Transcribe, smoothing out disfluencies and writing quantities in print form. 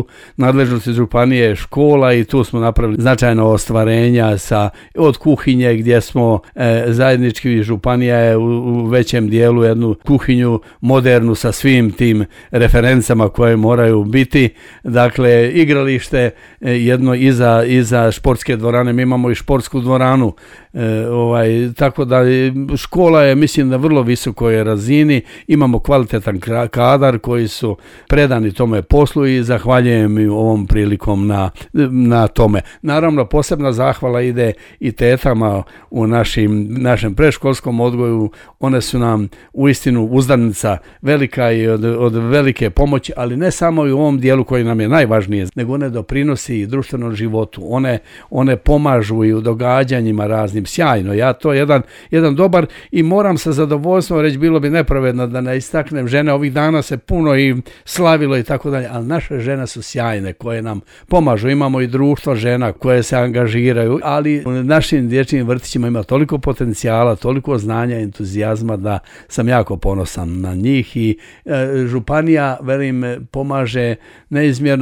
u nadležnosti županije škola i tu smo napravili značajno ostvarenja od kuhinje gdje smo zajednički, županija je u većem dijelu jednu kuhinju modernu sa svim tim referencama koje moraju biti. Dakle, igralište jedno iza športske dvorane, mi imamo i športsku dvoranu, tako da škola je, mislim, na vrlo visokoj razini, imamo kvalitetan kadar koji su predani tome poslu i zahvaljujem im ovom prilikom na tome. Naravno, posebna zahvala ide i tetama u našem predškolskom odgoju, one su nam uistinu uzdanica velika i od velike pomoći, ali ne samo i u ovom dijelu koji nam je najvažnije, nego one doprinosi i društvenom životu, one pomažu i u događanjima raznim, sjajno. To je jedan dobar i moram sa zadovoljstvom reći, bilo bi nepravedno da ne istaknem žene, ovih dana se puno i slavilo i tako dalje, ali naše žene su sjajne koje nam pomažu, imamo i društvo žena koje se angažiraju, ali u našim dječjim vrtićima ima toliko potencijala, toliko znanja i entuzijazma da sam jako ponosan na njih i županija, velim, pomaže neizmjerno.